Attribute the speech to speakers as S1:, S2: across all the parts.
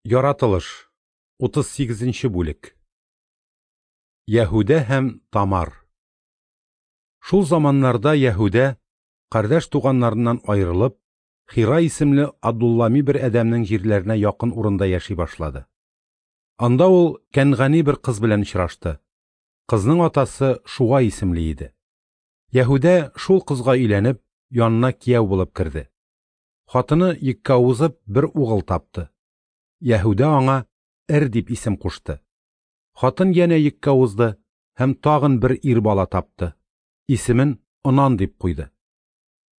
S1: Яратылыш, 38 нче бүлек. Яһүдә һәм Тамар. Шул заманнарда Яһүдә, кардәш туганнарыннан аерылып, Хира исемле Адуллами бер адәмнең җирләренә якын урында яши башлады. Анда ул Кәнгани бер кыз белән очрашты. Кызның атасы Шуа исемле иде. Яһүдә шул кызга өйләнеп, янына кияү булып керде. Хатыны йөккә узып, бер угыл тапты. Яһүдә аңа Эр дип исем кушты. Хатын янә йөккә узды һәм тагын бер ир бала тапты. Исемен Онан дип куйды.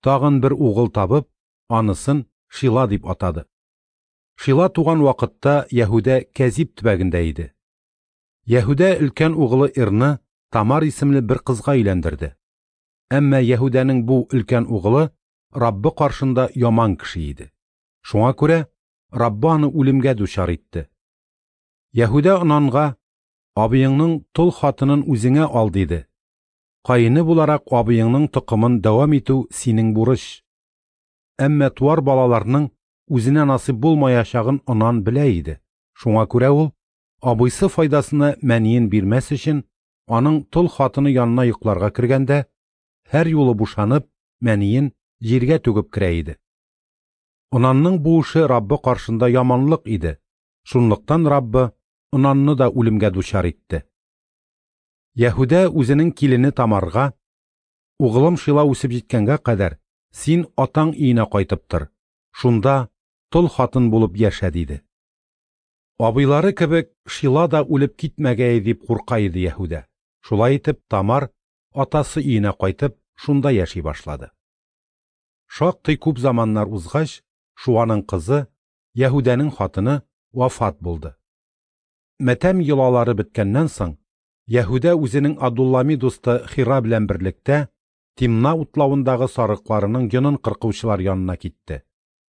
S1: Тагын бер угыл табып, анысын Шила дип атады. Шила туган вакытта Яһүдә Кәзиб төбәгендә иде. Яһүдә өлкән угылы Ирны Тамар исемле бер кызга өйләндерде. Әмма Яһүдәнең бу өлкән угылы Раббы каршында яман кеше иде. Шуңа күрә Раббы аны үлемгә дучар итте. Яһүдә Онанга, Абыеңның тол хатынын үзеңә ал, диде. Каене буларак абыеңның токымын дәвам итү синең бурыч. Әмма туар балаларның үзенә насыйп булмаячагын Онан белә иде. Шуңа күрә ул, абыйсы файдасына мәниен бирмәс өчен, аның тол хатыны янына йокларга кергәндә, һәр юлы бушанып, мәниен җиргә түгеп керә иде. Онанның бу эше Раббы каршында яманлык иде. Шунлыктан Раббы Онанны да үлемгә дучар итте. Яһүдә үзенең килене Тамарга, Угылым Шила үсеп җиткәнгә кадәр, син атаң өенә кайтып тор, шунда тол хатын булып яшә, диде. Абыйлары кебек Шила да үлеп китмәгәе дип курка иде Яһүдә. Шулай итеп Тамар атасы өенә кайтып, шунда яши башлады. Шактый күп заманнар узгач, Шуаның кызы, Яһүдәнең хатыны, вафат булды. Матәм йолалары беткәннән соң, Яһүдә үзенең Адуллами дусты Хира белән берлектә Тимна утлавындагы сарыкларының йонын кыркучылар янына китте.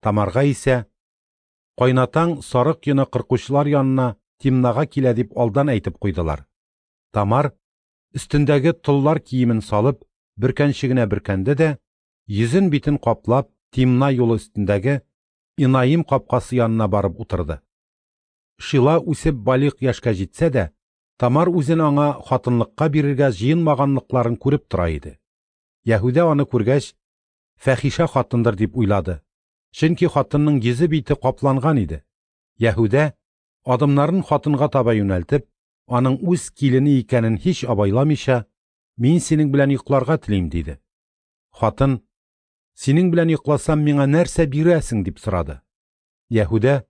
S1: Тамарга исә, Кайнатаң сарык йоны кыркучылар янына Тимнага килә дип алдан әйтеп куйдылар. Тамар, өстендәге толлар киемен салып, бөркәнчегенә бөркәнде дә, йөзен-битен каплап, Тимна юлы өстендәге Инаим капкасы янына барып утырды. Шила үсеп балигъ яшькә җитсә дә, Тамар үзен аңа хатынлыкка бирергә җыенмаганлыкларын күреп тора иде. Яһүдә аны күргәч, фәхишә хатындыр дип уйлады. Чөнки хатынның йөзе-бите капланган иде. Яһүдә, адымнарын хатынга таба юнәлтеп, аның үз килене икәнен һич абайламыйча, Мин синең белән йокларга телим, диде. Хатын, Синең белән йокласам, миңа нәрсә бирәсең, дип сорады. Яһүдә,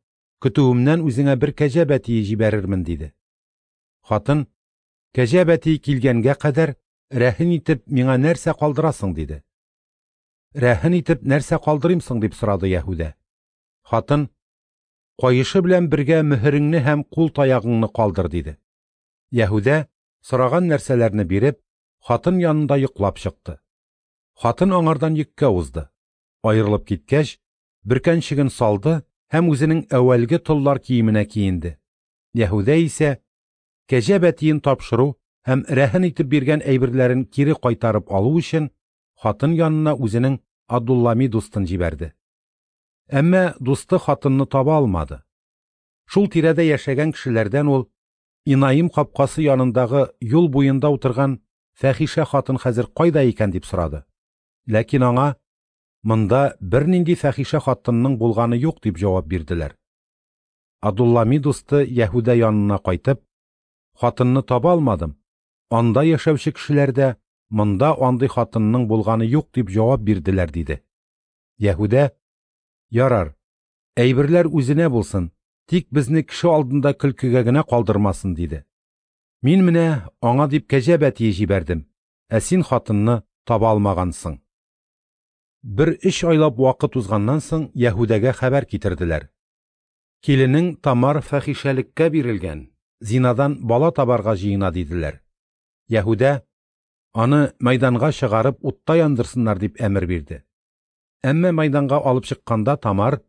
S1: Көтүемнән үзеңә бер кәҗә бәтие җибәрермен, диде. Хатын, Кәҗә бәтие килгәнгә кадәр, рәһен итеп миңа нәрсә калдырасың, диде. Рәһен итеп нәрсә калдырыйм соң, дип сорады Яһүдә. Хатын, Каешы белән бергә мөһереңне һәм кул таягыңны калдыр, диде. Яһүдә, сораган нәрсәләрне биреп, хатын янында йоклап чыкты. Хатын аңардан йөккә узды. Аерылып киткәч, бөркәнчеген салды һәм үзенең әүвәлге толлар киеменә киенде. Яһүдә исә, кәҗә бәтиен тапшыру һәм рәһен итеп биргән әйберләрен кире кайтарып алу өчен, хатын янына үзенең Адуллами дустын җибәрде. Әмма дусты хатынны таба алмады. Шул тирәдә яшәгән кешеләрдән ул Инаим капкасы янындагы юл буенда утырган фәхишә хатын хәзер кайда икән дип сорады. Ләкин аңа монда бернинди фәхишә хатынның булганы юк дип җавап бирделәр. Адуллами дусты Яһүдә янына кайтып, хатынны таба алмадым, анда яшәүче кешеләр дә монда андый хатынның булганы юк дип җавап бирделәр, диде. Яһүдә, ярар, әйберләр үзенә булсын, тик безне кеше алдында көлкегә генә калдырмасын, диде. Мин менә аңа дип кәҗә бәтие җибәрдем, ә син хатынны таба алмагансың. Бер өч айлап вакыт узганнан соң Яһүдәгә хәбәр китерделәр. Киленең Тамар фәхишәлеккә бирелгән, зинадан бала табарга җыена, диделәр. Яһүдә, аны мәйданга чыгарып утта яндырсыннар дип әмер бирде. Әмма мәйданга алып чыкканда Тамар,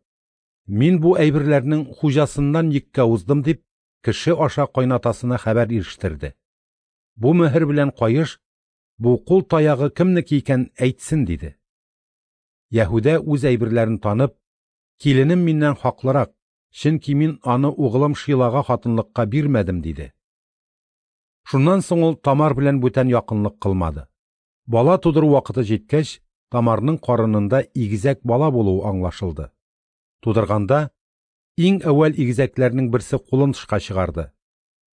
S1: мин бу әйберләрнең хуҗасыннан йөккә уздым дип, кеше аша кайнатасына хәбәр ирештерде. Бу мөһер белән каеш, бу кул таягы кемнеке икән әйтсен, диде. Яһүдә үз әйберләрен танып, киленем миннән хаклырак, Чөнки мин аны угылым Шилага хатынлыкка бирмәдем, диде. Шуннан соң ул Тамар белән бүтән якынлык кылмады. Бала тудыру вакыты җиткәч, Тамарның карынында игезәк бала булуы аңлашылды. Тудырганда, иң әүвәл игезәкләрнең берсе кулын тышка чыгарды.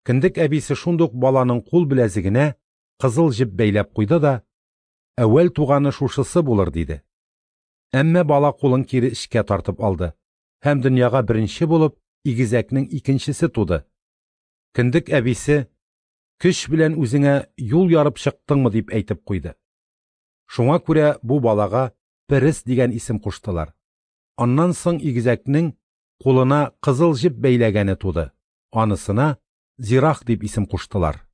S1: Кендек әбисе шундук баланың кул беләзегенә кызыл җеп бәйләп куйды да, әүвәл туганы шушысы булыр, диде. Әмма бала кулын кире эчкә тартып алды һәм дөньяга беренче булып игезәкнең икенчесе туды. Кендек әбисе, көч белән үзеңә юл ярып чыктыңмы, дип әйтеп куйды. Шуңа күрә бу балага Перес дигән исем куштылар. Аннан соң игезәкнең кулына кызыл җеп бәйләгәне туды. Анысына Зирах дип исем куштылар.